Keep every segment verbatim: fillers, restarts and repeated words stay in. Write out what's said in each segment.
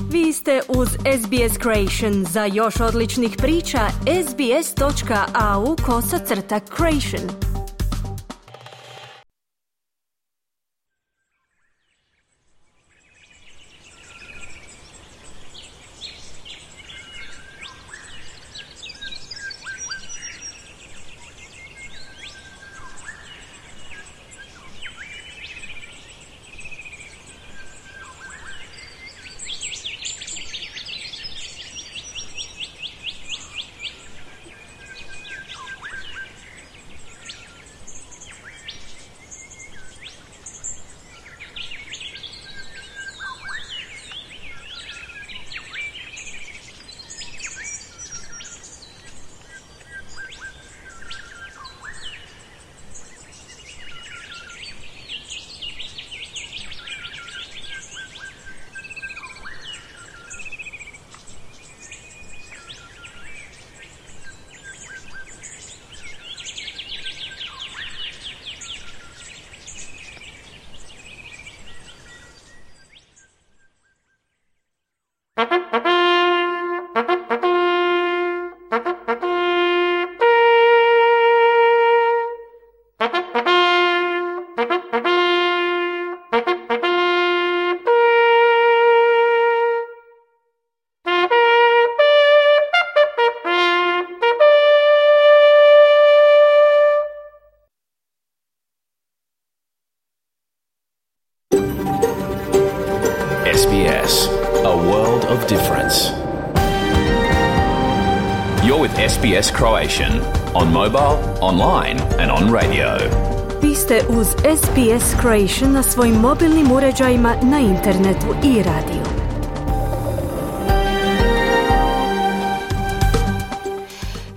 Vi ste uz S B S Creation. Za još odličnih priča, sbs.au kosacrta creation. S B S, a world of difference. You're with S B S Croatian on mobile, online and on radio. Vi ste uz S B S Creation na svojim mobilnim uređajima, na internetu i radiju.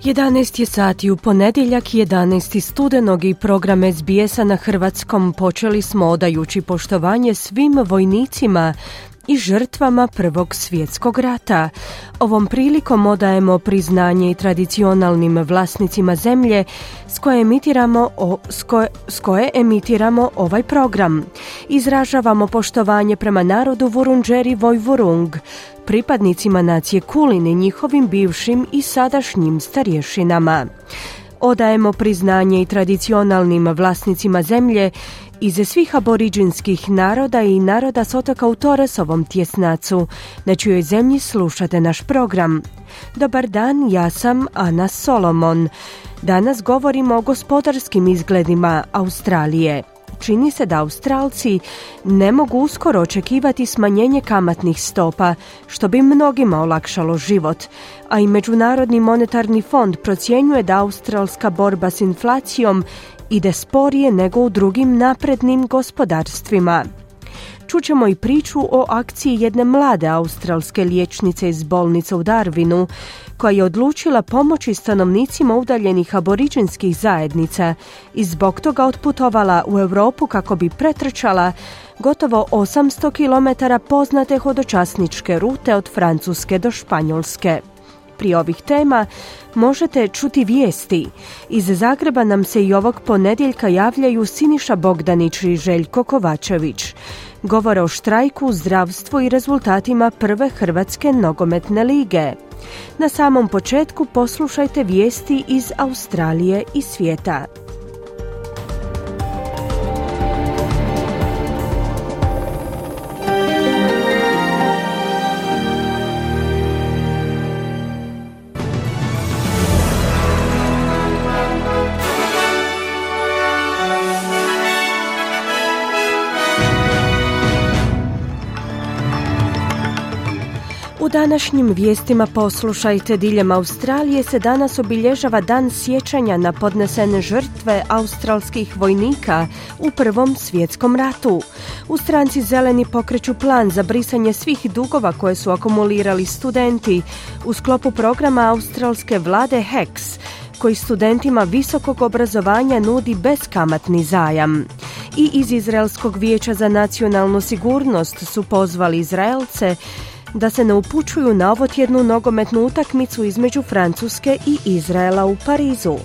jedanaest je sati u ponedjeljak, jedanaesti studenog, i program S B S-a na hrvatskom počeli smo odajući poštovanje svim vojnicima i žrtvama Prvog svjetskog rata. Ovom prilikom odajemo priznanje i tradicionalnim vlasnicima zemlje s koje emitiramo, o, s koje, s koje emitiramo ovaj program. Izražavamo poštovanje prema narodu Vurundjeri Vojvurung, pripadnicima nacije Kulin i njihovim bivšim i sadašnjim starješinama. Odajemo priznanje i tradicionalnim vlasnicima zemlje iz svih aboriđinskih naroda i naroda s otoka u Torresovom tjesnacu, na čijoj zemlji slušate naš program. Dobar dan, ja sam Ana Solomon. Danas govorimo o gospodarskim izgledima Australije. Čini se da Australci ne mogu uskoro očekivati smanjenje kamatnih stopa, što bi mnogima olakšalo život, a i Međunarodni monetarni fond procjenjuje da australska borba s inflacijom ide sporije nego u drugim naprednim gospodarstvima. Čućemo i priču o akciji jedne mlade australske liječnice iz bolnice u Darwinu, koja je odlučila pomoći stanovnicima udaljenih aboriđinskih zajednica i zbog toga otputovala u Europu kako bi pretrčala gotovo osamsto kilometara poznate hodočasničke rute od Francuske do Španjolske. Prije ovih tema možete čuti vijesti. Iz Zagreba nam se i ovog ponedjeljka javljaju Siniša Bogdanić i Željko Kovačević. Govore o štrajku, zdravstvu i rezultatima prve Hrvatske nogometne lige. Na samom početku poslušajte vijesti iz Australije i svijeta. U današnjim vijestima poslušajte, diljem Australije se danas obilježava dan sjećanja na podnesene žrtve australskih vojnika u Prvom svjetskom ratu. U stranci Zeleni pokreću plan za brisanje svih dugova koje su akumulirali studenti u sklopu programa australske vlade H E C S, koji studentima visokog obrazovanja nudi beskamatni zajam. I iz Izraelskog vijeća za nacionalnu sigurnost su pozvali Izraelce da se ne upućuju na ovotjednu nogometnu utakmicu između Francuske i Izraela u Parizu.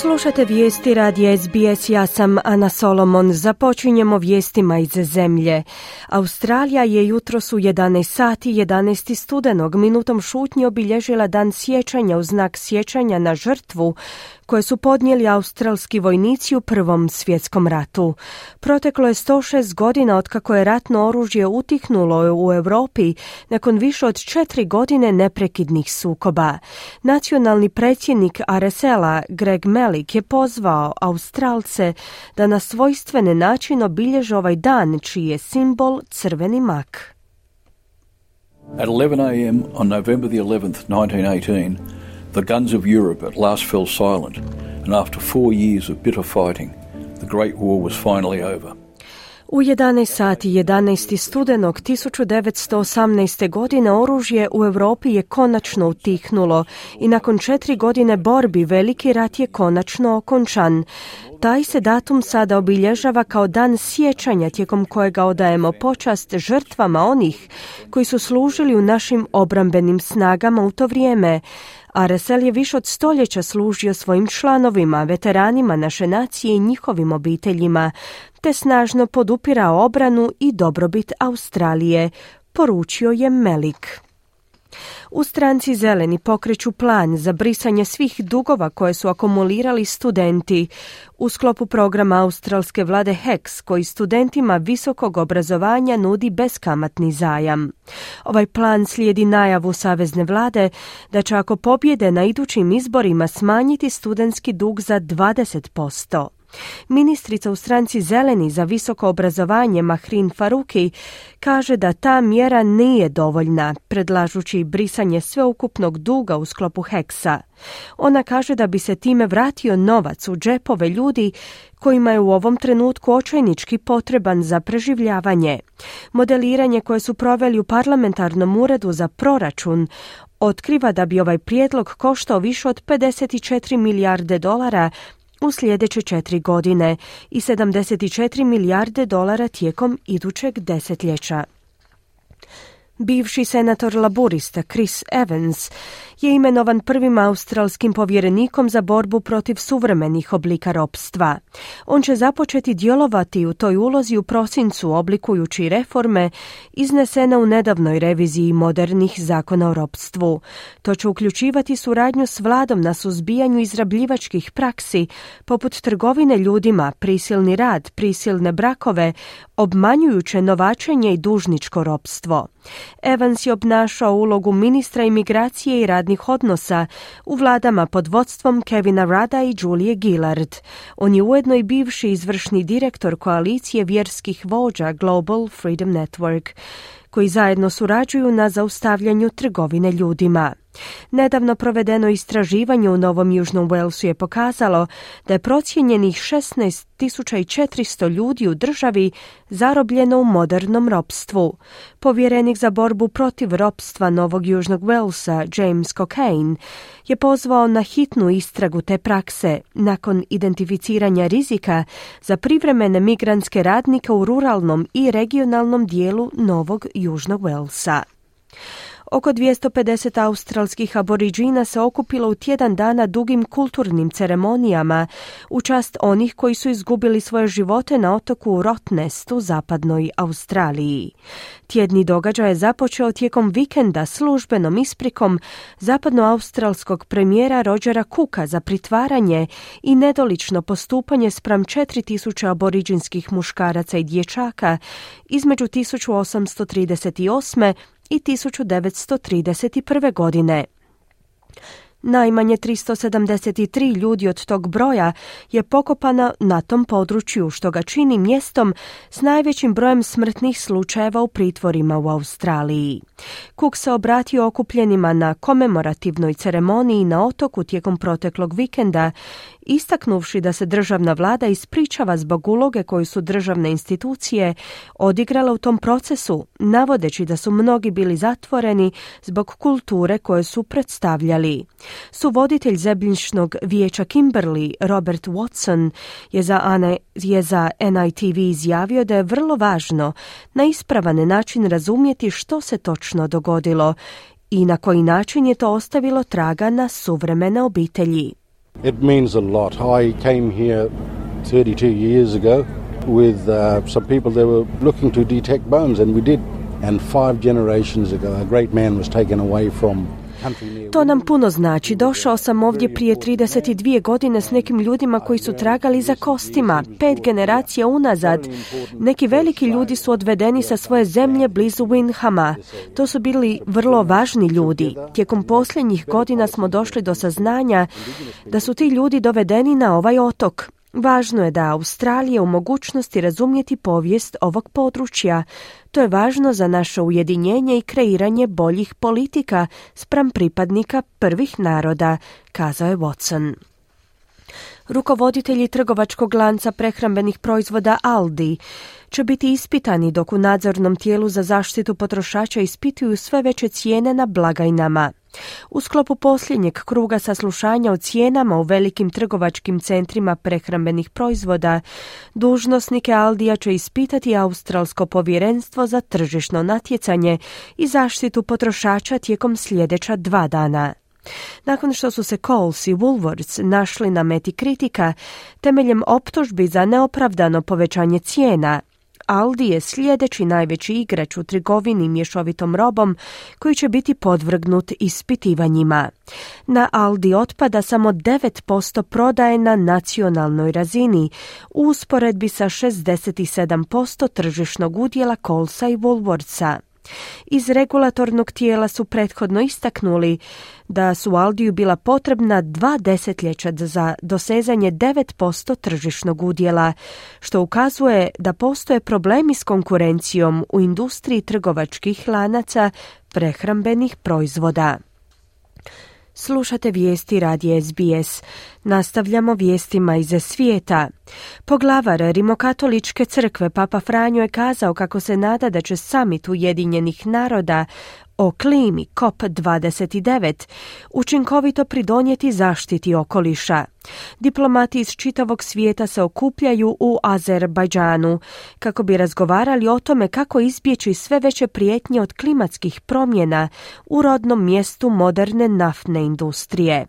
Slušate vijesti radija S B S, ja sam Ana Solomon. Započinjemo vijestima iz zemlje. Australija je jutros u jedanaest sati jedanaesti studenog minutom šutnje obilježila dan sjećanja u znak sjećanja na žrtvu koje su podnijeli australski vojnici u Prvom svjetskom ratu. Proteklo je sto šest godina otkako je ratno oružje utihnulo u Europi nakon više od četiri godine neprekidnih sukoba. Nacionalni predsjednik R S L-a Greg Melik je pozvao Australce da na svojstvene način obilježe ovaj dan čiji je simbol crveni mak. At eleven a.m. on November the eleventh, nineteen eighteen, the guns of Europe at last fell silent, and after four years of bitter fighting, the Great War was finally over. U jedanaest sati jedanaesti studenog tisuću devetsto osamnaeste. godine oružje u Europi je konačno utihnulo i nakon četiri godine borbi veliki rat je konačno okončan. Taj se datum sada obilježava kao dan sjećanja tijekom kojega odajemo počast žrtvama onih koji su služili u našim obrambenim snagama u to vrijeme. R S L je više od stoljeća služio svojim članovima, veteranima naše nacije i njihovim obiteljima, te snažno podupirao obranu i dobrobit Australije, poručio je Melik. U stranci Zeleni pokreću plan za brisanje svih dugova koje su akumulirali studenti u sklopu programa australske vlade H E C, koji studentima visokog obrazovanja nudi beskamatni zajam. Ovaj plan slijedi najavu savezne vlade da će ako pobjede na idućim izborima smanjiti studentski dug za dvadeset posto. Ministrica u stranci Zeleni za visoko obrazovanje Mahrin Faruki kaže da ta mjera nije dovoljna, predlažući brisanje sveukupnog duga u sklopu H E C-a. Ona kaže da bi se time vratio novac u džepove ljudi kojima je u ovom trenutku očajnički potreban za preživljavanje. Modeliranje koje su proveli u parlamentarnom uredu za proračun otkriva da bi ovaj prijedlog koštao više od pedeset četiri milijarde dolara u sljedeće četiri godine i sedamdeset četiri milijarde dolara tijekom idućeg desetljeća. Bivši senator laburista Chris Evans je imenovan prvim australskim povjerenikom za borbu protiv suvremenih oblika ropstva. On će započeti djelovati u toj ulozi u prosincu oblikujući reforme iznesene u nedavnoj reviziji modernih zakona o ropstvu. To će uključivati suradnju s vladom na suzbijanju izrabljivačkih praksi poput trgovine ljudima, prisilni rad, prisilne brakove, obmanjujuće novačenje i dužničko ropstvo. Evans je obnašao ulogu ministra imigracije i radnih odnosa u vladama pod vodstvom Kevina Rudda i Julie Gillard. On je ujedno i bivši izvršni direktor koalicije vjerskih vođa Global Freedom Network, koji zajedno surađuju na zaustavljanju trgovine ljudima. Nedavno provedeno istraživanje u Novom Južnom Walesu je pokazalo da je procijenjenih šesnaest tisuća četiristo ljudi u državi zarobljeno u modernom ropstvu. Povjerenik za borbu protiv ropstva Novog Južnog Walesa, James Cockayne, je pozvao na hitnu istragu te prakse nakon identificiranja rizika za privremene migrantske radnike u ruralnom i regionalnom dijelu Novog Južnog Walesa. Oko dvjesto pedeset australskih aboriđina se okupilo u tjedan dana dugim kulturnim ceremonijama u čast onih koji su izgubili svoje živote na otoku Rottnest u zapadnoj Australiji. Tjedni događaj je započeo tijekom vikenda službenom isprikom zapadnoaustralskog premijera Rogera Cooka za pritvaranje i nedolično postupanje spram četiri tisuće aboriđinskih muškaraca i dječaka između tisuću osamsto trideset osme i tisuću devetsto trideset prve. godine. Najmanje tristo sedamdeset tri ljudi od tog broja je pokopano na tom području, što ga čini mjestom s najvećim brojem smrtnih slučajeva u pritvorima u Australiji. Cook se obratio okupljenima na komemorativnoj ceremoniji na otoku tijekom proteklog vikenda, istaknuvši da se državna vlada ispričava zbog uloge koju su državne institucije odigrale u tom procesu, navodeći da su mnogi bili zatvoreni zbog kulture koje su predstavljali. Suvoditelj Zemljišnog vijeća Kimberley, Robert Watson, je za, Ane, je za N I T V izjavio da je vrlo važno na ispravan način razumjeti što se točno dogodilo i na koji način je to ostavilo traga na suvremene obitelji. It means a lot. I came here thirty-two years ago with uh, some people that were looking to detect bones, and we did. And five generations ago, a great man was taken away from. To nam puno znači. Došao sam ovdje prije trideset dvije godine s nekim ljudima koji su tragali za kostima. Pet generacija unazad. Neki veliki ljudi su odvedeni sa svoje zemlje blizu Windhama. To su bili vrlo važni ljudi. Tijekom posljednjih godina smo došli do saznanja da su ti ljudi dovedeni na ovaj otok. Važno je da Australija u mogućnosti razumjeti povijest ovog područja. To je važno za naše ujedinjenje i kreiranje boljih politika spram pripadnika prvih naroda, kazao je Watson. Rukovoditelji trgovačkog lanca prehrambenih proizvoda Aldi će biti ispitani dok u nadzornom tijelu za zaštitu potrošača ispituju sve veće cijene na blagajnama. U sklopu posljednjeg kruga saslušanja o cijenama u velikim trgovačkim centrima prehrambenih proizvoda, dužnosnike Aldija će ispitati Australsko povjerenstvo za tržišno natjecanje i zaštitu potrošača tijekom sljedeća dva dana. Nakon što su se Coles i Woolworths našli na meti kritika temeljem optužbi za neopravdano povećanje cijena, Aldi je sljedeći najveći igrač u trgovini mješovitom robom koji će biti podvrgnut ispitivanjima. Na Aldi otpada samo devet posto prodaje na nacionalnoj razini, u usporedbi sa šezdeset sedam posto tržišnog udjela Colesa i Woolworthsa. Iz regulatornog tijela su prethodno istaknuli da su Aldiju bila potrebna dva desetljeća za dosezanje devet posto tržišnog udjela, što ukazuje da postoje problemi s konkurencijom u industriji trgovačkih lanaca prehrambenih proizvoda. Slušate vijesti radija S B S. Nastavljamo vijestima iz svijeta. Poglavar Rimokatoličke crkve Papa Franjo je kazao kako se nada da će samit Ujedinjenih naroda o klimi C O P dvadeset devet učinkovito pridonijeti zaštiti okoliša. Diplomati iz čitavog svijeta se okupljaju u Azerbajdžanu kako bi razgovarali o tome kako izbjeći sve veće prijetnje od klimatskih promjena u rodnom mjestu moderne naftne industrije.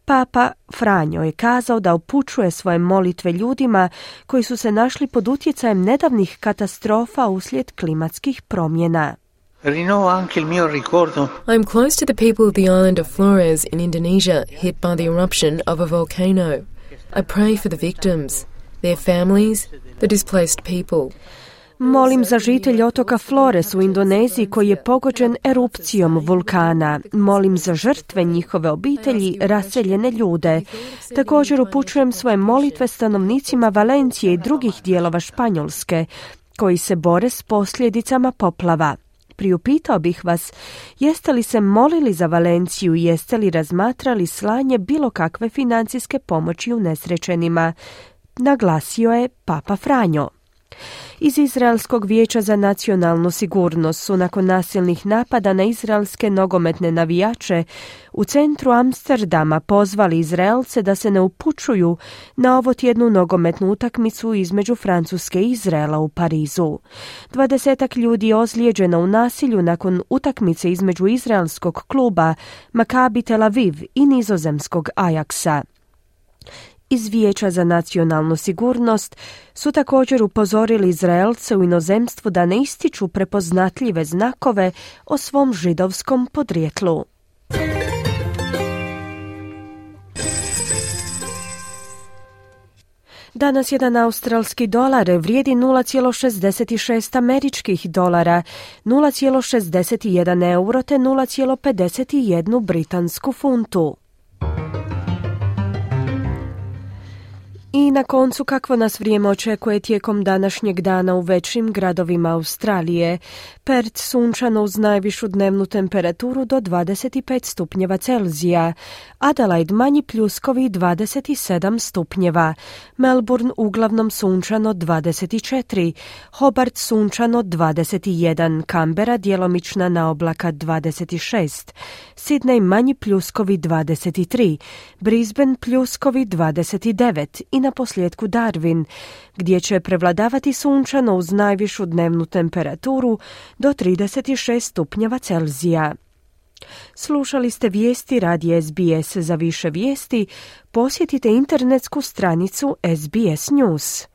Papa Franjo je kazao da upućuje svoje molitve ljudima koji su se našli pod utjecajem nedavnih katastrofa uslijed klimatskih promjena. I'm close to the people of the island of Flores in Indonesia, hit by the eruption of a volcano. I pray for the victims, their families, the displaced people. Molim za žitelje otoka Flores u Indoneziji koji je pogođen erupcijom vulkana. Molim za žrtve, njihove obitelji, raseljene ljude. Također upućujem svoje molitve stanovnicima Valencije i drugih dijelova Španjolske koji se bore s posljedicama poplava. Priupitao bih vas, jeste li se molili za Valenciju i jeste li razmatrali slanje bilo kakve financijske pomoći unesrećenima, naglasio je Papa Franjo. Iz Izraelskog vijeća za nacionalnu sigurnost su nakon nasilnih napada na izraelske nogometne navijače u centru Amsterdama pozvali Izraelce da se ne upućuju na ovotjednu nogometnu utakmicu između Francuske i Izraela u Parizu. Dvadesetak ljudi je ozlijeđeno u nasilju nakon utakmice između izraelskog kluba Maccabi Tel Aviv i nizozemskog Ajaxa. Iz Vijeća za nacionalnu sigurnost su također upozorili Izraelce u inozemstvu da ne ističu prepoznatljive znakove o svom židovskom podrijetlu. Danas jedan australski dolar vrijedi nula zarez šezdeset šest američkih dolara, nula zarez šezdeset jedan euro te nula zarez pedeset jedan britansku funtu. I na koncu, kakvo nas vrijeme očekuje tijekom današnjeg dana u većim gradovima Australije. Perth sunčano uz najvišu dnevnu temperaturu do dvadeset pet stupnjeva Celzija, Adelaide manji pljuskovi dvadeset sedam stupnjeva, Melbourne uglavnom sunčano dvadeset četiri, Hobart sunčano dvadeset jedan, Canberra djelomična naoblaka dvadeset šest, Sydney manji pljuskovi dvadeset tri, Brisbane pljuskovi dvadeset devet i na posljedku Darwin, gdje će prevladavati sunčano uz najvišu dnevnu temperaturu do trideset šest stupnjeva Celzija. Slušali ste vijesti radija S B S. Za više vijesti posjetite internetsku stranicu S B S News.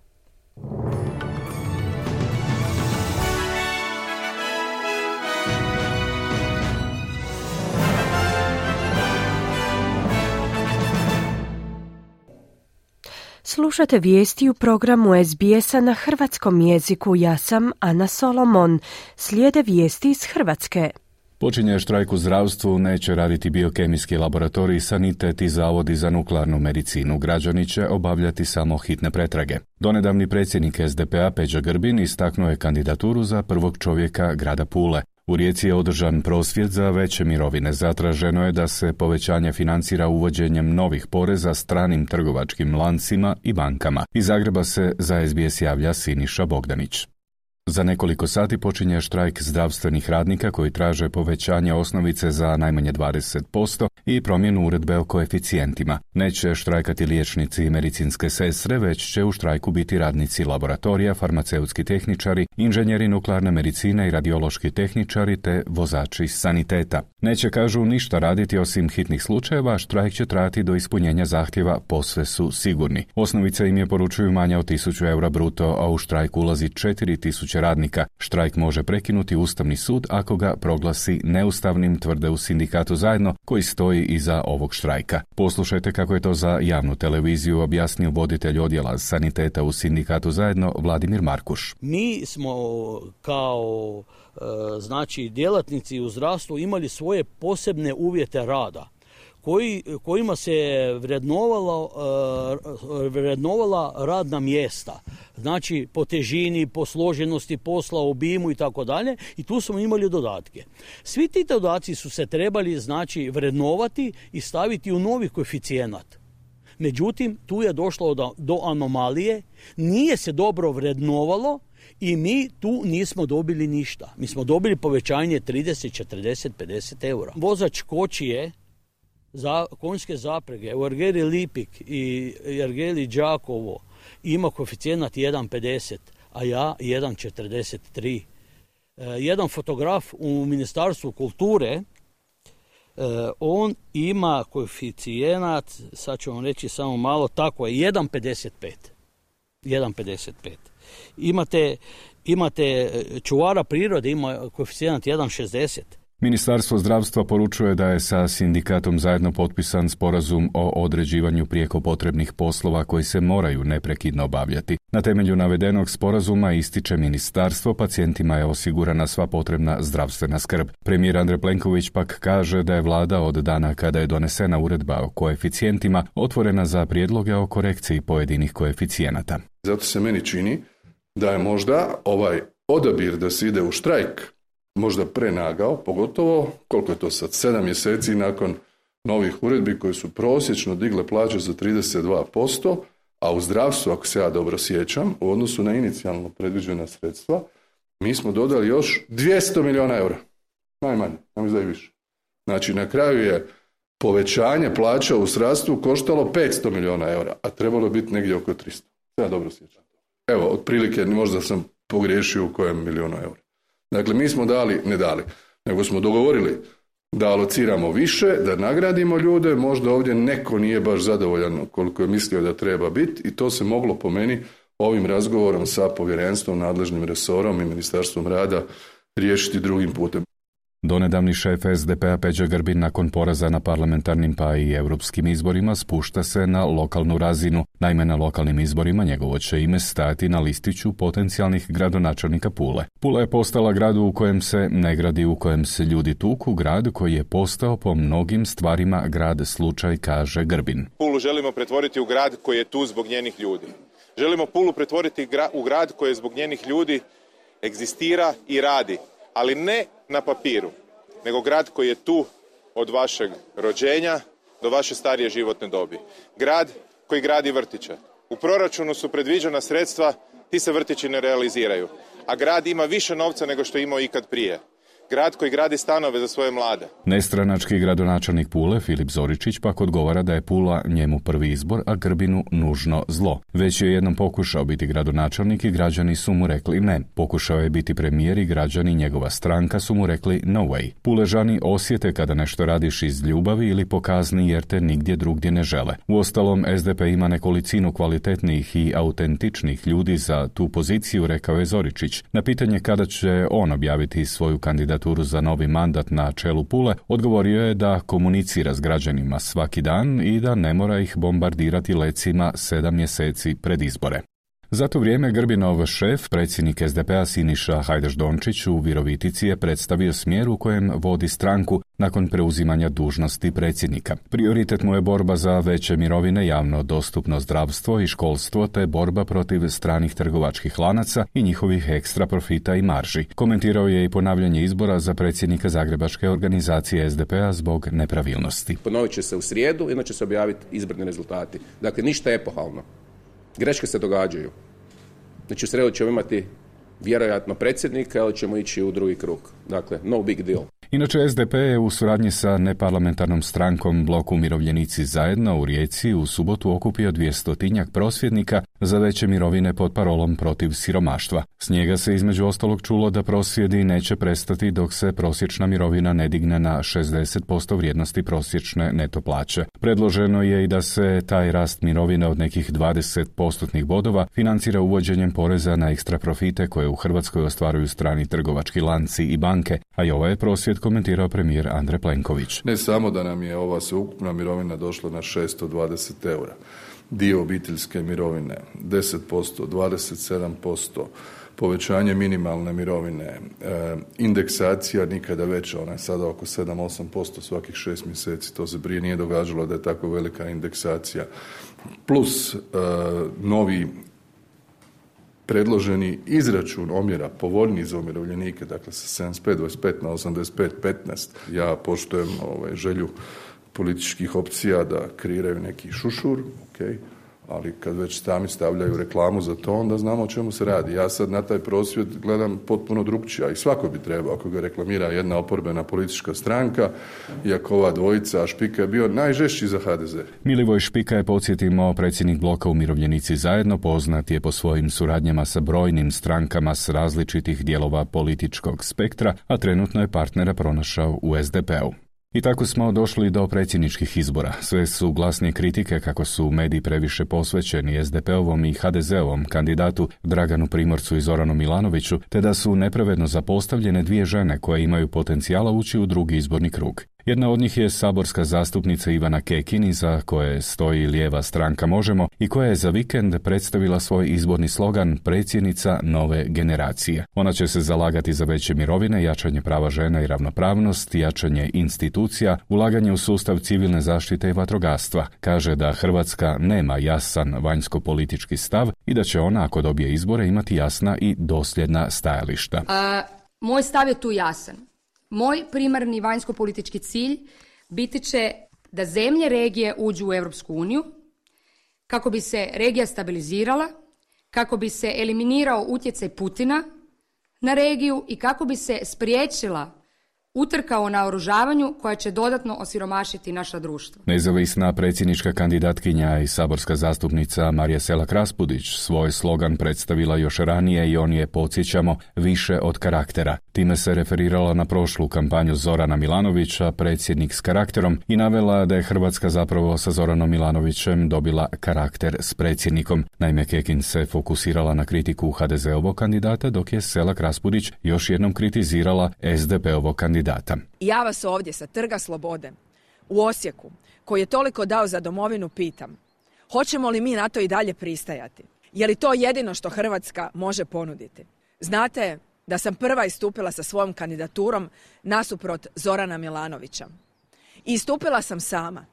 Slušate vijesti u programu S B S-a na hrvatskom jeziku. Ja sam Ana Solomon. Slijede vijesti iz Hrvatske. Počinje štrajk u zdravstvu, neće raditi biokemijski laboratorij, sanitet i zavodi za nuklearnu medicinu. Građani će obavljati samo hitne pretrage. Donedavni predsjednik S D P-a Peđa Grbin istaknuo je kandidaturu za prvog čovjeka grada Pule. U Rijeci je održan prosvjed za veće mirovine. Zatraženo je da se povećanje financira uvođenjem novih poreza stranim trgovačkim lancima i bankama. Iz Zagreba se za S B S javlja Siniša Bogdanić. Za nekoliko sati počinje štrajk zdravstvenih radnika koji traže povećanje osnovice za najmanje dvadeset posto i promjenu uredbe o koeficijentima. Neće štrajkati liječnici i medicinske sestre, već će u štrajku biti radnici laboratorija, farmaceutski tehničari, inženjeri nuklearne medicine i radiološki tehničari te vozači saniteta. Neće, kažu, ništa raditi osim hitnih slučajeva, štrajk će trajati do ispunjenja zahtjeva, posve su sigurni. Osnovica im je, poručuju, manja od tisuću eura bruto, a u štrajk ulazi četiri tisuće radnika. Štrajk može prekinuti Ustavni sud ako ga proglasi neustavnim, tvrde u sindikatu Zajedno, koji stoji iza ovog štrajka. Poslušajte kako je to za javnu televiziju objasnio voditelj odjela saniteta u sindikatu Zajedno Vladimir Markuš. Mi smo kao znači djelatnici u zdravstvu imali svoje posebne uvjete rada koji, kojima se vrednovala, vrednovala radna mjesta. Znači po težini, po složenosti posla, obimu i tako dalje, i tu smo imali dodatke. Svi ti dodaci su se trebali znači vrednovati i staviti u novi koeficijenat. Međutim, tu je došlo do, do anomalije, nije se dobro vrednovalo i mi tu nismo dobili ništa. Mi smo dobili povećanje trideset, četrdeset, pedeset eura. Vozač kočije za konjske zaprege u Ergeli Lipik i Ergeli Đakovo ima koeficijenat jedan pedeset, a ja jedan četrdeset tri. E, jedan fotograf u Ministarstvu kulture, e, on ima koeficijenat, sad ću vam reći samo malo, tako je, jedan pedeset pet. jedan pedeset pet. Imate, imate čuvara prirode, ima koeficijenat jedan šezdeset. Ministarstvo zdravstva poručuje da je sa sindikatom Zajedno potpisan sporazum o određivanju prijeko potrebnih poslova koji se moraju neprekidno obavljati. Na temelju navedenog sporazuma, ističe ministarstvo, pacijentima je osigurana sva potrebna zdravstvena skrb. Premijer Andrej Plenković pak kaže da je vlada od dana kada je donesena uredba o koeficijentima otvorena za prijedloge o korekciji pojedinih koeficijenata. Zato se meni čini da je možda ovaj odabir da se ide u štrajk možda prenagao, pogotovo, koliko je to sad, sedam mjeseci nakon novih uredbi koje su prosječno digle plaće za trideset dva posto, a u zdravstvu, ako se ja dobro sjećam, u odnosu na inicijalno predviđena sredstva, mi smo dodali još dvjesto milijuna eura. Najmanje, nam izdaje više. Znači, na kraju je povećanje plaća u zdravstvu koštalo petsto milijuna eura, a trebalo je biti negdje oko tristo. Ja dobro sjećam. Evo, otprilike, možda sam pogriješio u kojem milijunu eura. Dakle, mi smo dali, ne dali, nego smo dogovorili da alociramo više, da nagradimo ljude, možda ovdje neko nije baš zadovoljan koliko je mislio da treba biti i to se moglo po meni ovim razgovorom sa povjerenstvom, nadležnim resorom i Ministarstvom rada riješiti drugim putem. Donedavni šef S D P-a Peđa Grbin nakon poraza na parlamentarnim pa i europskim izborima spušta se na lokalnu razinu. Naime, na lokalnim izborima njegovo će ime stajati na listiću potencijalnih gradonačelnika Pule. Pula je postala grad u kojem se ne gradi, u kojem se ljudi tuku, grad koji je postao po mnogim stvarima grad slučaj, kaže Grbin. Pulu želimo pretvoriti u grad koji je tu zbog njenih ljudi. Želimo Pulu pretvoriti u grad koji je zbog njenih ljudi egzistira i radi, ali ne na papiru, nego grad koji je tu od vašeg rođenja do vaše starije životne dobi. Grad koji gradi vrtiće. U proračunu su predviđena sredstva, ti se vrtići ne realiziraju, a grad ima više novca nego što je imao ikad prije. grad koji gradi stanove za svoje mlade. Nestranački gradonačelnik Pule, Filip Zoričić, pak odgovara da je Pula njemu prvi izbor, a Grbinu nužno zlo. Već je jednom pokušao biti gradonačelnik i građani su mu rekli ne. Pokušao je biti premijer i građani njegova stranka su mu rekli no way. Puležani osjete kada nešto radiš iz ljubavi ili po kazni jer te nigdje drugdje ne žele. Uostalom, S D P ima nekolicinu kvalitetnih i autentičnih ljudi za tu poziciju, rekao je Zoričić. Na pitanje kada će on objaviti svoju kandidaturu za novi mandat na čelu Pule, odgovorio je da komunicira s građanima svaki dan i da ne mora ih bombardirati lecima sedam mjeseci pred izbore. Za to vrijeme Grbinov šef, predsjednik S D P-a Siniša Hajdaš-Dončić u Virovitici je predstavio smjer u kojem vodi stranku nakon preuzimanja dužnosti predsjednika. Prioritet mu je borba za veće mirovine, javno dostupno zdravstvo i školstvo te borba protiv stranih trgovačkih lanaca i njihovih ekstra profita i marži. Komentirao je i ponavljanje izbora za predsjednika Zagrebačke organizacije S D P-a zbog nepravilnosti. Ponovit će se u srijedu, inače se objaviti izborni rezultati. Dakle, ništa epohalno. Greške se događaju. Znači u sredu ćemo imati vjerojatno predsjednika, ali ćemo ići u drugi krug. Dakle, no big deal. Inače, S D P je u suradnji sa neparlamentarnom strankom Blok Umirovljenici zajedno u Rijeci u subotu okupio dvjestotinjak prosvjednika za veće mirovine pod parolom protiv siromaštva. S njega se između ostalog čulo da prosvjedi neće prestati dok se prosječna mirovina ne digne na šezdeset posto vrijednosti prosječne neto plaće. Predloženo je i da se taj rast mirovine od nekih dvadeset postotnih bodova financira uvođenjem poreza na ekstra profite koje u Hrvatskoj ostvaruju strani trgovački lanci i banke, a i ovaj je prosvjed komentirao premijer Andrej Plenković. Ne samo da nam je ova sveukupna mirovina došla na šesto dvadeset eura, dio obiteljske mirovine deset posto, dvadeset sedam posto, povećanje minimalne mirovine, e, indeksacija nikada veća, ona je sada oko sedam do osam posto svakih šest mjeseci, to se prije nije događalo da je tako velika indeksacija, plus e, novi predloženi izračun omjera povoljniji za umirovljenike, dakle sa sedamdeset pet dvadeset pet na osamdeset pet petnaest. Ja poštujem ovaj, želju političkih opcija da kreiraju neki šušur, ok, ali kad već sami stavljaju reklamu za to, onda znamo o čemu se radi. Ja sad na taj prosvjed gledam potpuno drugčije, a i svako bi trebao, ako ga reklamira jedna oporbena politička stranka, iako ova dvojica, a Špika je bio najžešći za H D Z. Milivoj Špika je, podsjetimo, predsjednik Bloka Umirovljenici zajedno, poznat je po svojim suradnjama sa brojnim strankama s različitih dijelova političkog spektra, a trenutno je partnera pronašao u S D P-u. I tako smo došli do predsjedničkih izbora. Sve su glasnije kritike kako su mediji previše posvećeni S D P-ovom i H D Z-ovom kandidatu Draganu Primorcu i Zoranu Milanoviću, te da su nepravedno zapostavljene dvije žene koje imaju potencijala ući u drugi izborni krug. Jedna od njih je saborska zastupnica Ivana Kekin, iza koje stoji lijeva stranka Možemo i koja je za vikend predstavila svoj izborni slogan predsjednica nove generacije. Ona će se zalagati za veće mirovine, jačanje prava žena i ravnopravnost, jačanje institucija, ulaganje u sustav civilne zaštite i vatrogastva. Kaže da Hrvatska nema jasan vanjsko-politički stav i da će ona, ako dobije izbore, imati jasna i dosljedna stajališta. A, moj stav je tu jasan. Moj primarni vanjsko-politički cilj biti će da zemlje regije uđu u Europsku uniju, kako bi se regija stabilizirala, kako bi se eliminirao utjecaj Putina na regiju i kako bi se spriječila utrka o naoružavanju koja će dodatno osiromašiti naša društva. Nezavisna predsjednička kandidatkinja i saborska zastupnica Marija Selak-Raspudić svoj slogan predstavila još ranije i on je, podsjećamo, više od karaktera. Time se referirala na prošlu kampanju Zorana Milanovića, predsjednik s karakterom, i navela da je Hrvatska zapravo sa Zoranom Milanovićem dobila karakter s predsjednikom. Naime, Kekin se fokusirala na kritiku H D Z-ovog kandidata, dok je Selak-Raspudić još jednom kritizirala S D P-ovog kandidata. Ja vas ovdje sa Trga Slobode u Osijeku, koji je toliko dao za domovinu, pitam, hoćemo li mi na to i dalje pristajati? Je li to jedino što Hrvatska može ponuditi? Znate da sam prva istupila sa svojom kandidaturom nasuprot Zorana Milanovića. I istupila sam sama,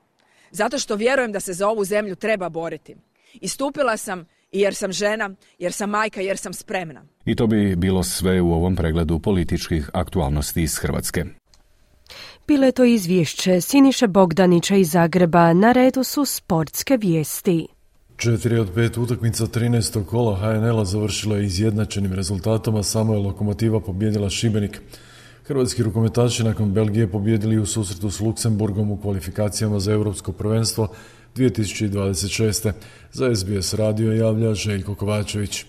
zato što vjerujem da se za ovu zemlju treba boriti. Istupila sam i jer sam žena, jer sam majka, jer sam spremna. I to bi bilo sve u ovom pregledu političkih aktualnosti iz Hrvatske. Bilo je to izvješće Siniše Bogdanića iz Zagreba. Na redu su sportske vijesti. Četiri od pet utakmica trinaestog kola H N L-a završila je izjednačenim rezultatom, a samo je Lokomotiva pobijedila Šibenik. Hrvatski rukometaši nakon Belgije pobijedili u susretu s Luksemburgom u kvalifikacijama za Europsko prvenstvo dvije tisuće dvadeset šeste. Za S B S radio javlja Željko Kovačević.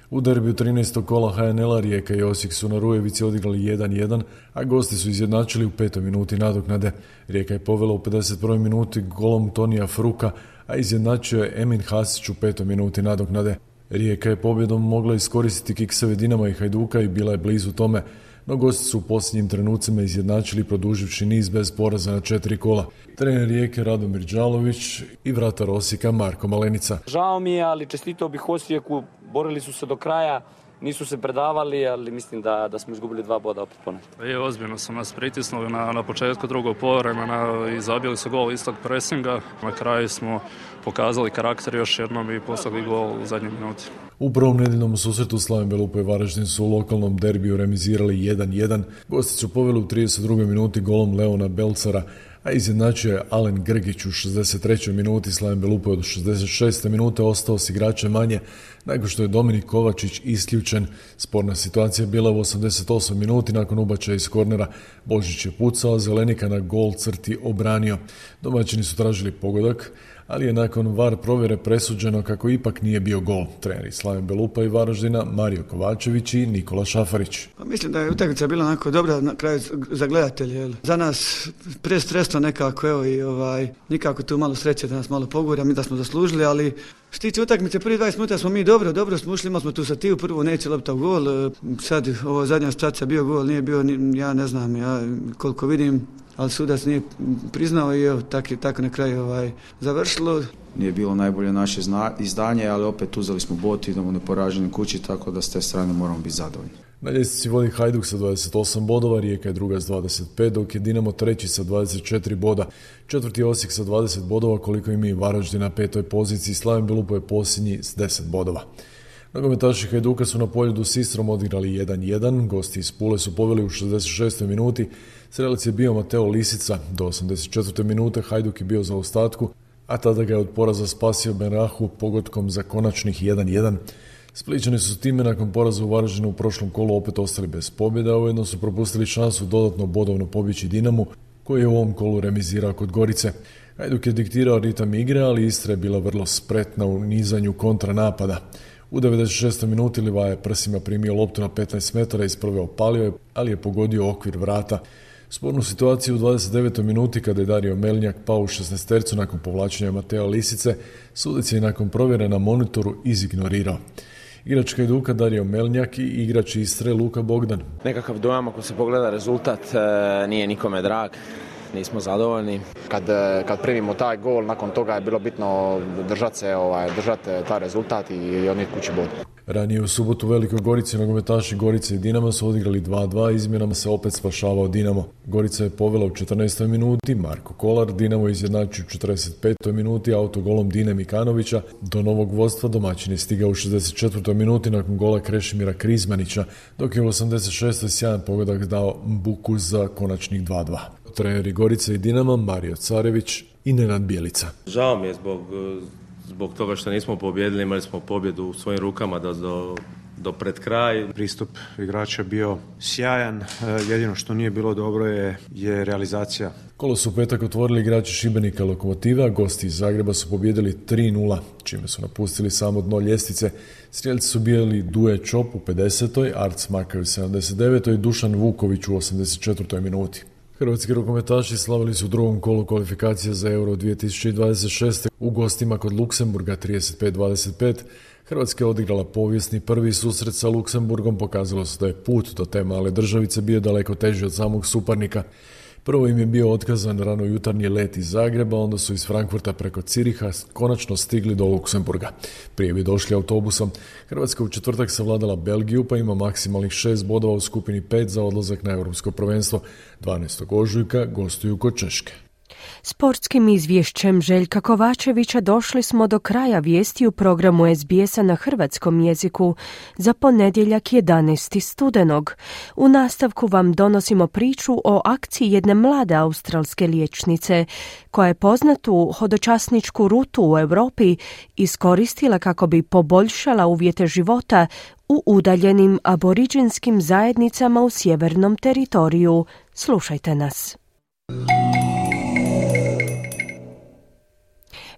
U derbiju trinaestog kola H N L-a Rijeka i Osijek su na Rujevici odigrali jedan jedan, a gosti su izjednačili u petoj minuti nadoknade. Rijeka je povela u pedeset prvoj minuti golom Tonija Fruka, a izjednačio je Emin Hasić u petoj minuti nadoknade. Rijeka je pobjedom mogla iskoristiti kikseve Dinama i Hajduka i bila je blizu tome, no gosti su u posljednjim trenucima izjednačili produživši niz bez poraza na četiri kola. Trener Rijeke Radomir Đalović i vratar Osijeka Marko Malenica. Žao mi je, ali čestitao bih Osijeku, borili su se do kraja, nisu se predavali, ali mislim da, da smo izgubili dva boda opet ponovno. Je, ozbiljno su nas pritisnuli na, na početku drugog poluvremena i zabili su gol istog presinga. Na kraju smo pokazali karakter još jednom i poslali gol u zadnjoj minuti. U prvom nedeljnom susretu Slaven Belupo i Varaždin su u lokalnom derbiju remizirali jedan jedan. Gosti su poveli u trideset drugoj minuti golom Leona Belcara, a izjednačio je Alen Grgić u šezdeset trećoj minuti. Slaven Belupo je od šezdeset šeste minute ostao s igračem manje, nakon što je Dominik Kovačić isključen. Sporna situacija je bila u osamdeset osmoj minuti nakon ubačaja iz kornera. Božić je pucao, Zelenika na gol crti obranio. Domaćini su tražili pogodak, ali je nakon V A R provjere presuđeno kako ipak nije bio gol. Treneri Slaven Belupa i Varaždina Mario Kovačević i Nikola Šafarić. Pa mislim da je utakmica bila onako dobra na kraju za gledatelje. Jel? Za nas prestresno nekako, evo i ovaj, nikako tu malo sreće da nas malo pogura, mi da smo zaslužili, ali što tiče utakmice, prvi dvadeset minuta smo mi dobro, dobro smo ušli, imali smo tu satiju, prvo neće lopta u gol, sad ovo zadnja situacija bio gol, nije bio, ja ne znam, ja koliko vidim, ali sudac nije priznao i evo, tako, tako na kraju ovaj, završilo. Nije bilo najbolje naše zna, izdanje, ali opet uzeli smo bod, idemo neporaženi kući, tako da s te strane moramo biti zadovoljni. Na ljestvici vodi Hajduk sa dvadeset osam bodova, Rijeka je druga s dvadeset pet, dok je Dinamo treći sa dvadeset četiri boda. Četvrti Osijek sa dvadeset bodova, koliko im je Varaždin na petoj poziciji, Slaven Belupo je posljednji s deset bodova. Nogometaši Hajduka su na Poljudu s Istrom odigrali jedan jedan, gosti iz Pule su poveli u šezdeset šestoj minuti, strelac je bio Mateo Lisica, do osamdeset četvrte minute Hajduk je bio za ostatku, a tada ga je od poraza spasio Benrahu pogodkom za konačnih jedan jedan. Splićani su time nakon poraza u Varaždinu u prošlom kolu opet ostali bez pobjede, a ujedno su propustili šansu dodatno bodovno pobjeći Dinamu, koji je u ovom kolu remizirao kod Gorice. Hajduk je diktirao ritam igre, ali Istra je bila vrlo spretna u nizanju kontranapada. U devedeset šestoj minuti Livaja je prsima primio loptu na petnaest metara, iz prve opalio je, ali je pogodio okvir vrata. Spornu situaciju u dvadeset devetoj minuti kada je Dario Melnjak pao u šesnaestercu nakon povlačenja Mateo Lisice, sudac je nakon provjere na monitoru izignorirao. Igrač Hajduka Dario Melnjak i igrač Istre Luka Bogdan. Nekakav dojam ako se pogleda rezultat nije nikome drag. Nismo zadovoljni. Kad, kad primimo taj gol, nakon toga je bilo bitno držati se, ovaj, držati taj rezultat i odnijeti kući bod. Ranije u subotu u Velikoj Gorici nogometaši Gorice i Dinama su odigrali dva dva, izmjenama se opet spašavao Dinamo. Gorica je povela u četrnaestoj minuti, Marko Kolar, Dinamo izjednačio u četrdeset petoj minuti autogolom Dine Mikanovića. Do novog vodstva domaćin je stigao u šezdeset četvrtoj minuti nakon gola Krešimira Krizmanića, dok je u osamdeset šestoj sjajan pogodak dao Mbuku za konačnih dva dva. Treneri Gorice i Dinama Mario Carević i Nenad Bjelica. Žao mi je zbog, zbog toga što nismo pobijedili, imali smo pobjedu u svojim rukama da do, do pred kraj. Pristup igrača bio sjajan, jedino što nije bilo dobro je, je realizacija. Kolo su u petak otvorili igrači Šibenika Lokomotive, a gosti iz Zagreba su pobijedili tri nula, čime su napustili samo dno ljestvice. Strijelci su bili Duje Čop u pedesetoj, Arc Makaj u sedamdeset devetoj i Dušan Vuković u osamdeset četvrtoj minuti. Hrvatski rukometaši slavili su u drugom kolu kvalifikacija za Euro dvije tisuće dvadeset šeste u gostima kod Luksemburga trideset pet dvadeset pet. Hrvatska je odigrala povijesni prvi susret sa Luksemburgom, pokazalo se da je put do te male državice bio daleko teži od samog suparnika. Prvo im je bio otkazan rano jutarnji let iz Zagreba, onda su iz Frankfurta preko Ciriha konačno stigli do Luksemburga. Prije bi došli autobusom. Hrvatska u četvrtak savladala Belgiju, pa ima maksimalnih šest bodova u skupini pet za odlazak na Europsko prvenstvo. dvanaestog ožujka gostuju kod Češke. Sportskim izvješćem Željka Kovačevića došli smo do kraja vijesti u programu S B S-a na hrvatskom jeziku za ponedjeljak jedanaesti studenog. U nastavku vam donosimo priču o akciji jedne mlade australske liječnice koja je poznatu hodočasničku rutu u Europi iskoristila kako bi poboljšala uvjete života u udaljenim aboriđinskim zajednicama u sjevernom teritoriju. Slušajte nas.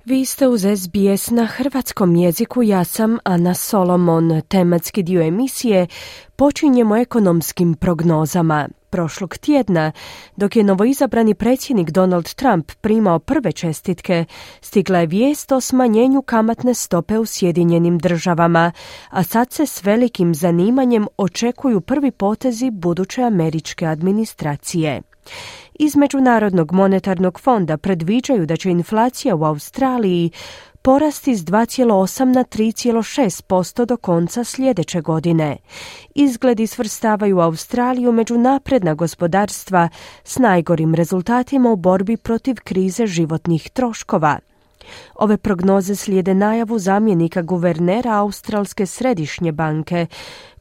Vi ste uz S B S na hrvatskom jeziku, ja sam Ana Solomon. Tematski dio emisije počinjemo ekonomskim prognozama. Prošlog tjedna, dok je novoizabrani predsjednik Donald Trump primao prve čestitke, stigla je vijest o smanjenju kamatne stope u Sjedinjenim državama, a sad se s velikim zanimanjem očekuju prvi potezi buduće američke administracije. Iz Međunarodnog monetarnog fonda predviđaju da će inflacija u Australiji porasti s dva zarez osam na tri zarez šest posto do konca sljedeće godine. Izgledi svrstavaju Australiju među napredna gospodarstva s najgorim rezultatima u borbi protiv krize životnih troškova. Ove prognoze slijede najavu zamjenika guvernera Australske središnje banke,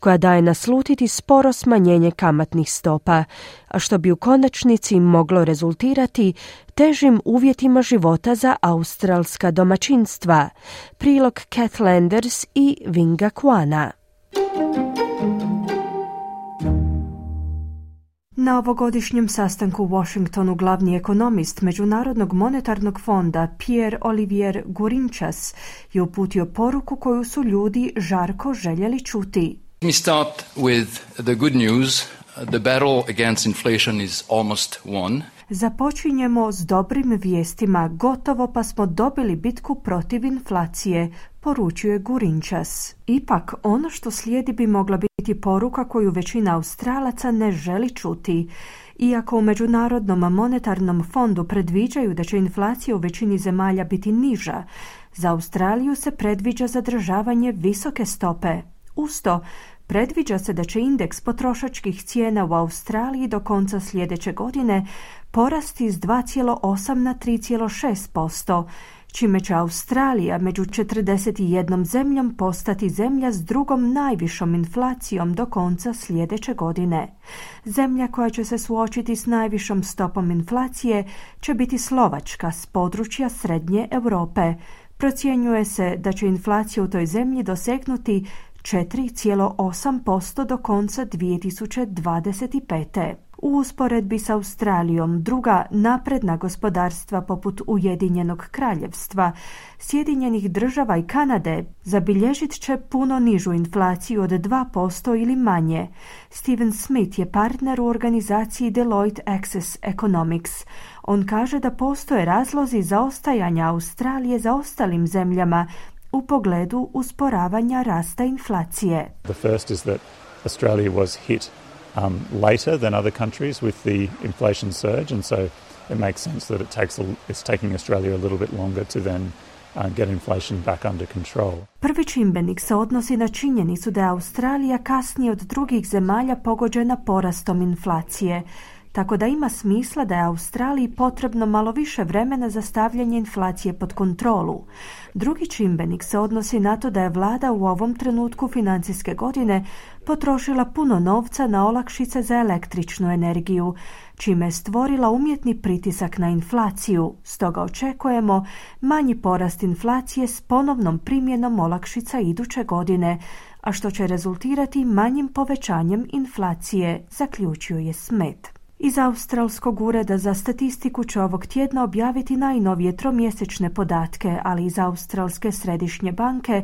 koja daje naslutiti sporo smanjenje kamatnih stopa, a što bi u konačnici moglo rezultirati težim uvjetima života za australska domaćinstva. Prilog Kath Landers i Vinga Kwana. Na ovogodišnjem sastanku u Washingtonu glavni ekonomist Međunarodnog monetarnog fonda Pierre-Olivier Gourinchas je uputio poruku koju su ljudi žarko željeli čuti. Let me start with the good news. The battle against inflation is almost won. Započinjemo s dobrim vijestima, gotovo pa smo dobili bitku protiv inflacije, poručuje Gourinchas. Ipak, ono što slijedi bi mogla biti poruka koju većina Australaca ne želi čuti. Iako u Međunarodnom monetarnom fondu predviđaju da će inflacija u većini zemalja biti niža, za Australiju se predviđa zadržavanje visoke stope. Usto, predviđa se da će indeks potrošačkih cijena u Australiji do konca sljedeće godine porasti s dva zarez osam na tri zarez šest posto, čime će Australija među četrdeset jednom zemljom postati zemlja s drugom najvišom inflacijom do konca sljedeće godine. Zemlja koja će se suočiti s najvišom stopom inflacije će biti Slovačka s područja Srednje Europe. Procjenjuje se da će inflacija u toj zemlji dosegnuti četiri zarez osam posto do konca dvije tisuće dvadeset pete. U usporedbi s Australijom, druga napredna gospodarstva poput Ujedinjenog kraljevstva, Sjedinjenih država i Kanade zabilježit će puno nižu inflaciju od dva posto ili manje. Steven Smith je partner u organizaciji Deloitte Access Economics. On kaže da postoje razlozi zaostajanja Australije za ostalim zemljama u pogledu usporavanja rasta inflacije. The first is that Australia was hit um, later than other countries with the inflation surge, and so it makes sense that it takes a, it's taking Australia a little bit longer to then uh, get inflation back under control. Prvi čimbenik se odnosi na činjenicu da je Australija kasnije od drugih zemalja pogođena porastom inflacije, tako da ima smisla da je Australiji potrebno malo više vremena za stavljanje inflacije pod kontrolu. Drugi čimbenik se odnosi na to da je vlada u ovom trenutku financijske godine potrošila puno novca na olakšice za električnu energiju, čime je stvorila umjetni pritisak na inflaciju. Stoga očekujemo manji porast inflacije s ponovnom primjenom olakšica iduće godine, a što će rezultirati manjim povećanjem inflacije, zaključuje Smith. Iz Australskog ureda za statistiku će ovog tjedna objaviti najnovije tromjesečne podatke, ali iz Australske središnje banke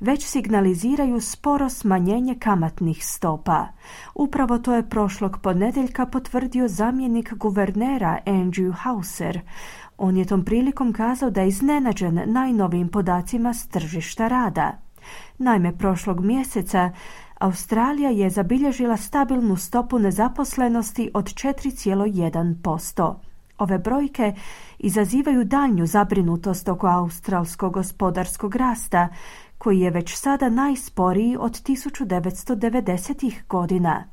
već signaliziraju sporo smanjenje kamatnih stopa. Upravo to je prošlog ponedjeljka potvrdio zamjenik guvernera Andrew Hauser. On je tom prilikom kazao da je iznenađen najnovijim podacima s tržišta rada. Naime, prošlog mjeseca Australija je zabilježila stabilnu stopu nezaposlenosti od četiri zarez jedan posto. Ove brojke izazivaju daljnju zabrinutost oko australskog gospodarskog rasta, koji je već sada najsporiji od tisuću devetsto devedesetih godina.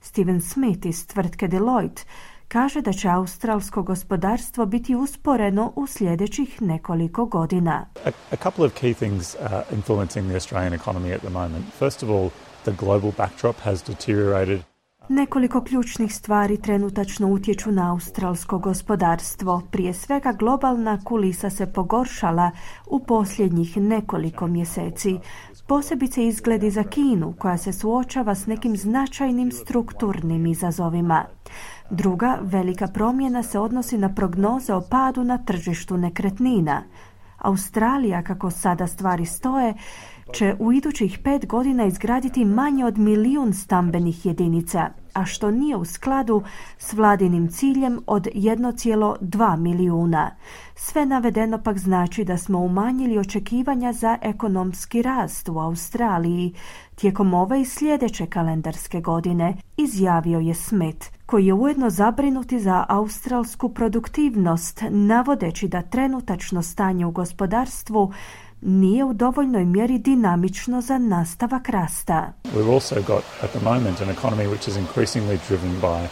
Steven Smith iz tvrtke Deloitte kaže da će australsko gospodarstvo biti usporeno u sljedećih nekoliko godina. A, a couple of key things uh, influencing the Australian economy at the moment. First of all, the global backdrop has deteriorated. Nekoliko ključnih stvari trenutačno utječu na australsko gospodarstvo. Prije svega, globalna kulisa se pogoršala u posljednjih nekoliko mjeseci. Posebice izgledi za Kinu, koja se suočava s nekim značajnim strukturnim izazovima. Druga velika promjena se odnosi na prognoze o padu na tržištu nekretnina. Australija, kako sada stvari stoje, će u idućih pet godina izgraditi manje od milijun stambenih jedinica, a što nije u skladu s vladinim ciljem od jedan zarez dva milijuna. Sve navedeno pak znači da smo umanjili očekivanja za ekonomski rast u Australiji tijekom ove i sljedeće kalendarske godine, izjavio je Smith, koji je ujedno zabrinuti za australsku produktivnost, navodeći da trenutačno stanje u gospodarstvu nije u dovoljnoj mjeri dinamično za nastavak rasta. We've also got at the moment an economy which is increasingly driven by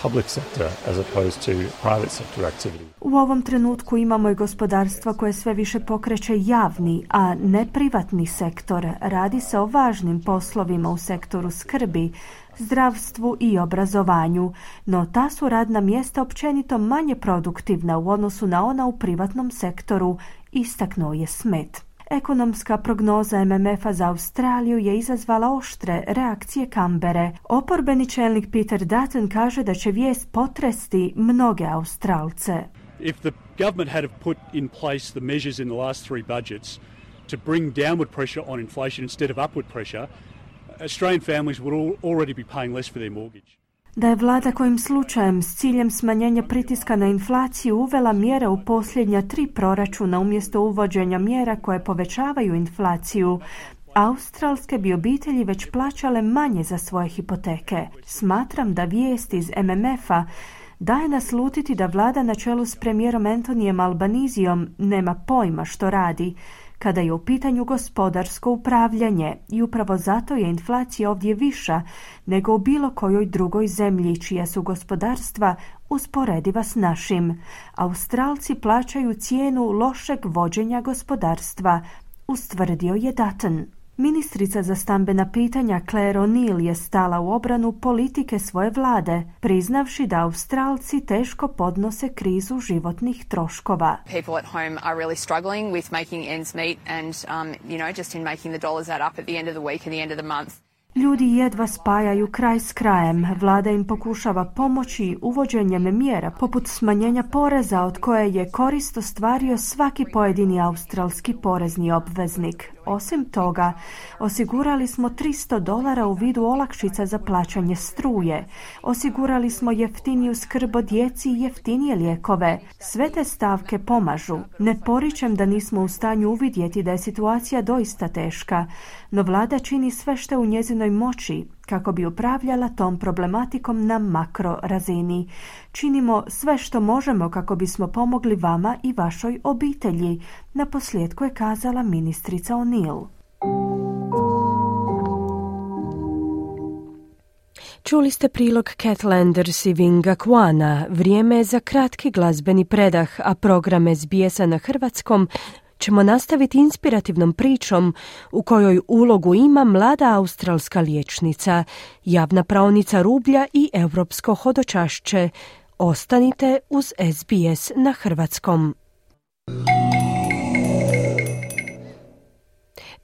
public sector as opposed to private sector activity. U ovom trenutku imamo i gospodarstvo koje sve više pokreće javni, a ne privatni sektor. Radi se o važnim poslovima u sektoru skrbi, zdravstvu i obrazovanju, no ta su radna mjesta općenito manje produktivna u odnosu na ona u privatnom sektoru, istaknuo je Smith. Ekonomska prognoza M M F-a za Australiju je izazvala oštre reakcije Kambere. Oporbeni čelnik Peter Dutton kaže da će vijest potresti mnoge Australce. If the government had put in place the measures in the last three budgets to bring downward pressure on inflation instead of upward pressure, Australian families would already be paying less for their mortgage. Da je vlada kojim slučajem s ciljem smanjenja pritiska na inflaciju uvela mjere u posljednja tri proračuna umjesto uvođenja mjera koje povećavaju inflaciju, australske bi obitelji već plaćale manje za svoje hipoteke. Smatram da vijest iz M M F-a daje naslutiti da vlada na čelu s premijerom Antonijem Albanizijom nema pojma što radi kada je u pitanju gospodarsko upravljanje i upravo zato je inflacija ovdje viša nego u bilo kojoj drugoj zemlji čija su gospodarstva usporediva s našim. Australci plaćaju cijenu lošeg vođenja gospodarstva, ustvrdio je Dutton. Ministrica za stambena pitanja Claire O'Neill je stala u obranu politike svoje vlade, priznavši da Australci teško podnose krizu životnih troškova. People at home are really struggling with making ends meet and um, you know, just in making the dollars add up at the end of the week and the end of the month. Ljudi jedva spajaju kraj s krajem. Vlada im pokušava pomoći uvođenjem mjera poput smanjenja poreza od koje je korist ostvario svaki pojedini australski porezni obveznik. Osim toga, osigurali smo tristo dolara u vidu olakšica za plaćanje struje. Osigurali smo jeftiniju skrb o djeci i jeftinije lijekove. Sve te stavke pomažu. Ne poričem da nismo u stanju uvidjeti da je situacija doista teška, no vlada čini sve što je u njezinoj moći kako bi upravljala tom problematikom na makro razini. Činimo sve što možemo kako bismo pomogli vama i vašoj obitelji, naposljetku je kazala ministrica O'Neill. Čuli ste prilog Cat Landers i Vinga Kwana. Vrijeme je za kratki glazbeni predah, a program S B S-a na hrvatskom ćemo nastaviti inspirativnom pričom u kojoj ulogu ima mlada australska liječnica, javna praonica rublja i europsko hodočašće. Ostanite uz S B S na hrvatskom.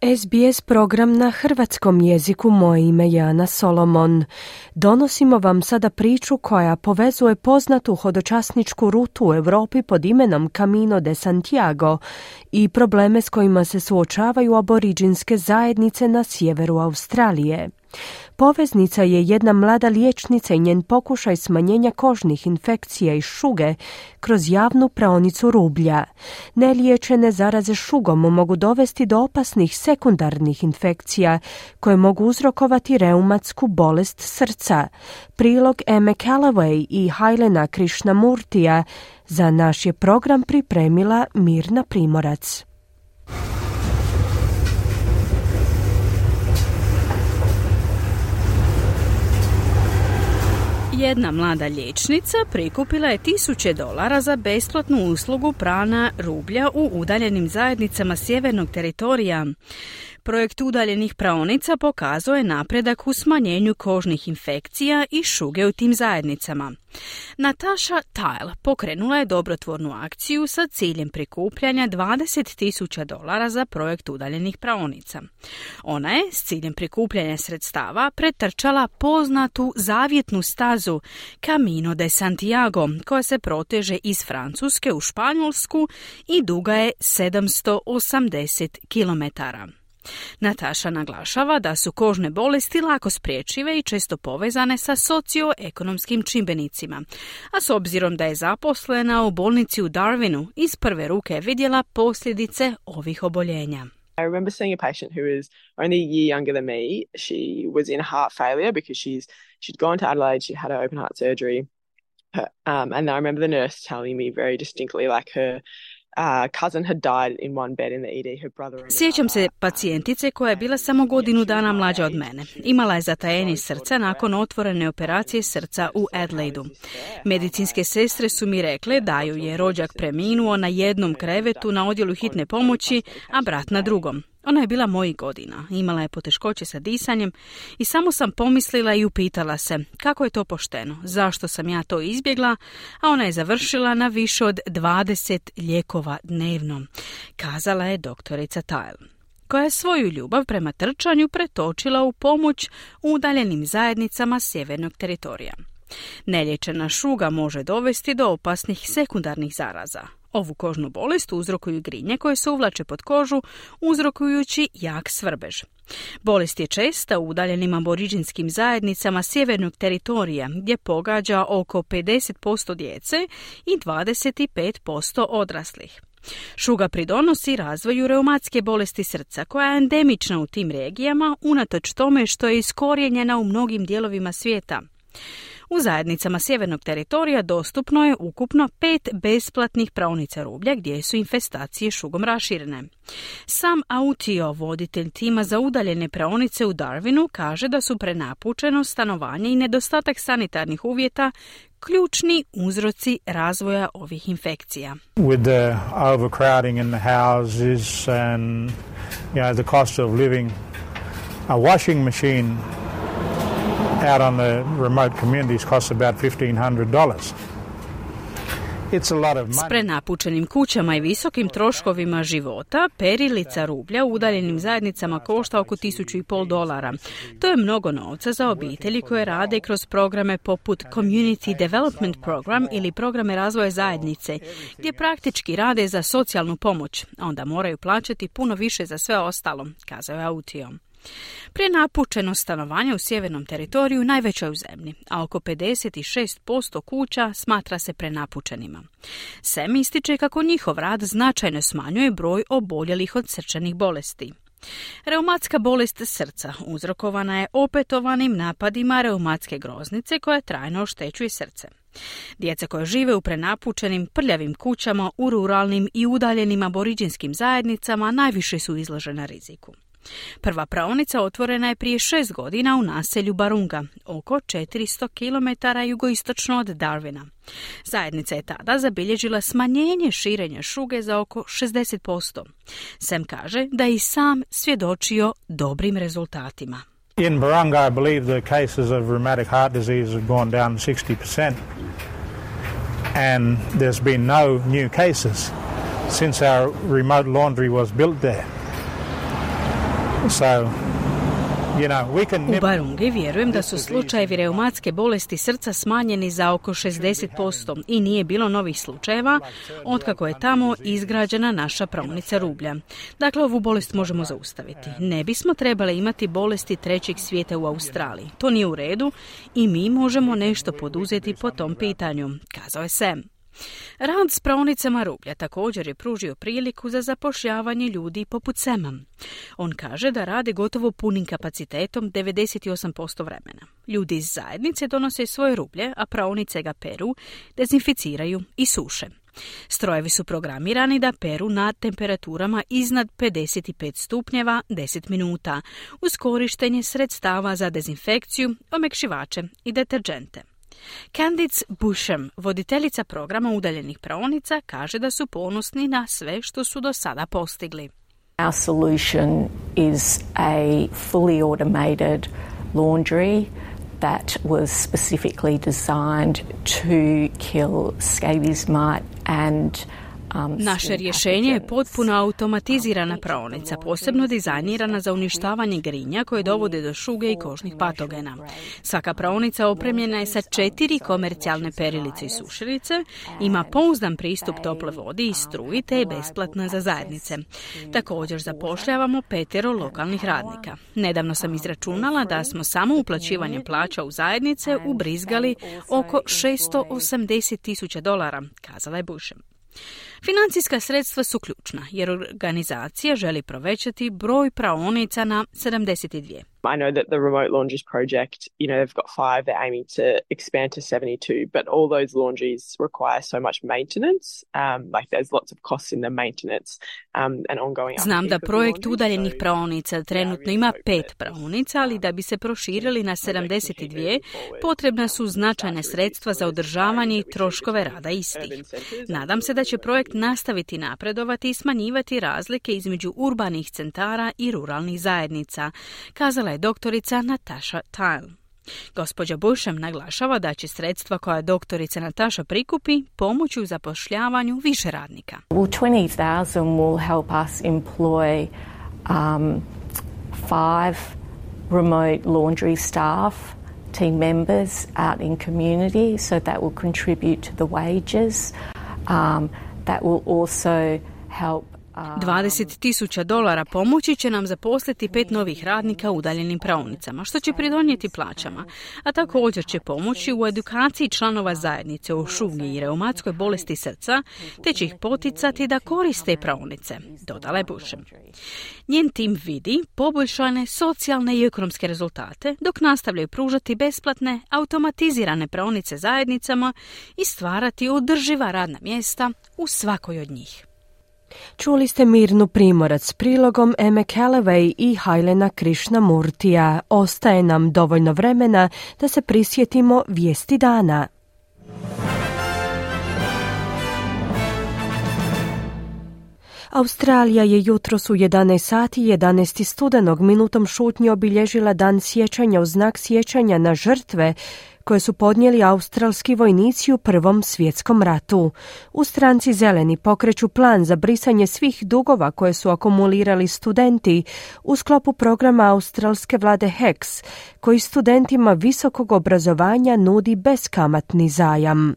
S B S program na hrvatskom jeziku, moje ime je Ana Solomon. Donosimo vam sada priču koja povezuje poznatu hodočasničku rutu u Europi pod imenom Camino de Santiago i probleme s kojima se suočavaju aboriđinske zajednice na sjeveru Australije. Poveznica je jedna mlada liječnica i njen pokušaj smanjenja kožnih infekcija i šuge kroz javnu praonicu rublja. Neliječene zaraze šugom mogu dovesti do opasnih sekundarnih infekcija koje mogu uzrokovati reumatsku bolest srca. Prilog Eme Callaway i Hailena Krishnamurtija za naš je program pripremila Mirna Primorac. Jedna mlada liječnica prikupila je tisuće dolara za besplatnu uslugu prana rublja u udaljenim zajednicama sjevernog teritorija. Projekt udaljenih praonica pokazao je napredak u smanjenju kožnih infekcija i šuge u tim zajednicama. Natasha Tile pokrenula je dobrotvornu akciju sa ciljem prikupljanja dvadeset tisuća dolara za projekt udaljenih praonica. Ona je s ciljem prikupljanja sredstava pretrčala poznatu zavjetnu stazu Camino de Santiago, koja se proteže iz Francuske u Španjolsku i duga je sedamsto osamdeset kilometara. Natasha naglašava da su kožne bolesti lako spriječive i često povezane sa socioekonomskim čimbenicima, a s obzirom da je zaposlena u bolnici u Darwinu, iz prve ruke je vidjela posljedice ovih oboljenja. I remember seeing a patient who was only a year younger than me. She was in heart failure because she's she'd gone to Adelaide, she had her open heart surgery. Her, um, and I remember the nurse telling me very distinctly, like her Uh, cousin had died in one bed in the E D, her brother and Sjećam se pacijentice koja je bila samo godinu dana mlađa od mene. Imala je zatajenje srca nakon otvorene operacije srca u Adelaidu. Medicinske sestre su mi rekle da ju je rođak preminuo na jednom krevetu na odjelu hitne pomoći, a brat na drugom. Ona je bila mojih godina, imala je poteškoće sa disanjem i samo sam pomislila i upitala se kako je to pošteno, zašto sam ja to izbjegla, a ona je završila na više od dvadeset lijekova dnevno, kazala je doktorica Tile, koja je svoju ljubav prema trčanju pretočila u pomoć udaljenim zajednicama sjevernog teritorija. Nelječena šuga može dovesti do opasnih sekundarnih zaraza. Ovu kožnu bolest uzrokuju grinje koje se uvlače pod kožu, uzrokujući jak svrbež. Bolest je česta u udaljenim aboriđinskim zajednicama sjevernog teritorija, gdje pogađa oko pedeset posto djece i dvadeset pet posto odraslih. Šuga pridonosi razvoju reumatske bolesti srca, koja je endemična u tim regijama, unatoč tome što je iskorijenjena u mnogim dijelovima svijeta. U zajednicama sjevernog teritorija dostupno je ukupno pet besplatnih praonica rublja gdje su infestacije šugom raširene. Sam Autio, voditelj tima za udaljene praonice u Darwinu, kaže da su prenapučenost, stanovanje i nedostatak sanitarnih uvjeta ključni uzroci razvoja ovih infekcija. With the overcrowding in the houses and you know the cost of living, a washing machine out on the remote communities costs about fifteen hundred dollars. It's a lot of money. S prenapučenim kućama i visokim troškovima života, perilica rublja u udaljenim zajednicama košta oko tisuću i pol dolara. To je mnogo novca za obitelji koje rade kroz programe poput Community Development Program ili programe razvoja zajednice, gdje praktički rade za socijalnu pomoć, a onda moraju plaćati puno više za sve ostalo, kazao je Autio. Prenapučenost stanovanja u sjevernom teritoriju najveća je u zemlji, a oko pedeset šest posto kuća smatra se prenapučenima. Sem ističe kako njihov rad značajno smanjuje broj oboljelih od srčanih bolesti. Reumatska bolest srca uzrokovana je opetovanim napadima reumatske groznice koja trajno oštećuje srce. Djeca koja žive u prenapučenim, prljavim kućama u ruralnim i udaljenim aboriđinskim zajednicama najviše su izložena riziku. Prva praonica otvorena je prije šest godina u naselju Barunga, oko četiristo kilometara jugoistočno od Darwina. Zajednica je tada zabilježila smanjenje širenja šuge za oko šezdeset posto. Sam kaže da je i sam svjedočio dobrim rezultatima. In Barunga, I believe the cases of rheumatic heart disease have gone down sixty percent. And there's been no new cases since our remote laundry was built there. So, you know, we can... U Barungi vjerujem da su slučajevi reumatske bolesti srca smanjeni za oko šezdeset posto i nije bilo novih slučajeva otkako je tamo izgrađena naša praonica rublja. Dakle, ovu bolest možemo zaustaviti. Ne bismo trebali imati bolesti trećeg svijeta u Australiji. To nije u redu i mi možemo nešto poduzeti po tom pitanju, kazao je Sam. Rad s praonicama rublja također je pružio priliku za zapošljavanje ljudi poput Sema. On kaže da rade gotovo punim kapacitetom devedeset osam posto vremena. Ljudi iz zajednice donose svoje rublje, a praonice ga peru, dezinficiraju i suše. Strojevi su programirani da peru na temperaturama iznad pedeset pet stupnjeva deset minuta, uz korištenje sredstava za dezinfekciju, omekšivače i deterđente. Candice Busham, voditeljica programa udaljenih praonica, kaže da su ponosni na sve što su do sada postigli. Our solution is a fully automated laundry that was specifically designed to kill scabies mite and Naše rješenje je potpuno automatizirana praonica, posebno dizajnirana za uništavanje grinja koje dovode do šuge i kožnih patogena. Svaka praonica opremljena je sa četiri komercijalne perilice i sušilice, ima pouzdan pristup tople vodi i struji te je besplatna za zajednice. Također zapošljavamo petero lokalnih radnika. Nedavno sam izračunala da smo samo uplaćivanje plaća u zajednice ubrizgali oko šesto osamdeset tisuća dolara, kazala je Bushem. Financijska sredstva su ključna jer organizacija želi povećati broj praonica na sedamdeset dvije. I know that the Remote Laundries project, you know, they've got five, they're aiming to expand to seventy-two, but all those laundries require so much maintenance. Um, like there's lots of costs in the maintenance um, and ongoing. Znam da projekt udaljenih praonica trenutno ima pet praonica, ali da bi se proširili na sedamdeset dvije, potrebna su značajne sredstva za održavanje i troškove rada istih. Nadam se da će projekt nastaviti napredovati i smanjivati razlike između urbanih centara i ruralnih zajednica, kazala je doktorica Natasha Tile. Gospođa Bushem naglašava da će sredstva koja doktorica Natasha prikupi pomoći u zapošljavanju više radnika. Well, twenty thousand will help us employ um, five remote laundry staff, team members out in community, so that will contribute to the wages. Um, that will also help dvadeset tisuća dolara pomoći će nam zaposliti pet novih radnika u udaljenim praonicama, što će pridonijeti plaćama, a također će pomoći u edukaciji članova zajednice o šugi i reumatskoj bolesti srca, te će ih poticati da koriste praonice, dodala je Bushem. Njen tim vidi poboljšane socijalne i ekonomske rezultate, dok nastavljaju pružati besplatne, automatizirane praonice zajednicama i stvarati održiva radna mjesta u svakoj od njih. Čuli ste Mirnu Primorac s prilogom Eme Callaway i Hailena Krishnamurtija. Ostaje nam dovoljno vremena da se prisjetimo vijesti dana. Australija je jutros u jedanaest sati jedanaestog studenog minutom šutnje obilježila dan sjećanja u znak sjećanja na žrtve koje su podnijeli australski vojnici u Prvom svjetskom ratu. U stranci Zeleni pokreću plan za brisanje svih dugova koje su akumulirali studenti u sklopu programa australske vlade H E C, koji studentima visokog obrazovanja nudi beskamatni zajam.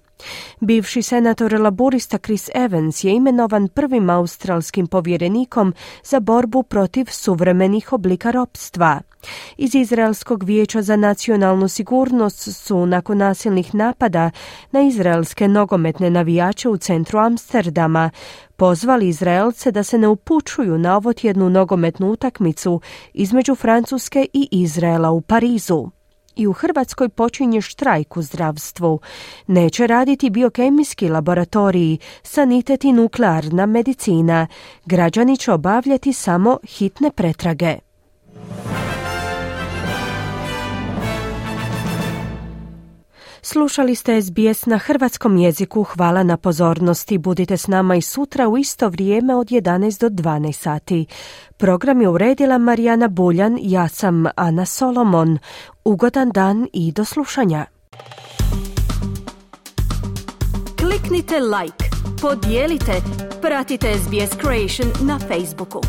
Bivši senator laburista Chris Evans je imenovan prvim australskim povjerenikom za borbu protiv suvremenih oblika ropstva. Iz Izraelskog vijeća za nacionalnu sigurnost su nakon nasilnih napada na izraelske nogometne navijače u centru Amsterdama pozvali Izraelce da se ne upućuju na ovotjednu nogometnu utakmicu između Francuske i Izraela u Parizu. I u Hrvatskoj počinje štrajk u zdravstvu. Neće raditi biokemijski laboratoriji, sanitet i nuklearna medicina. Građani će obavljati samo hitne pretrage. Slušali ste S B S na hrvatskom jeziku. Hvala na pozornosti. Budite s nama i sutra u isto vrijeme od jedanaest do dvanaest sati. Program je uredila Marijana Buljan, ja sam Ana Solomon. Ugodan dan i do slušanja. Kliknite like, podijelite, pratite S B S Creation na Facebooku.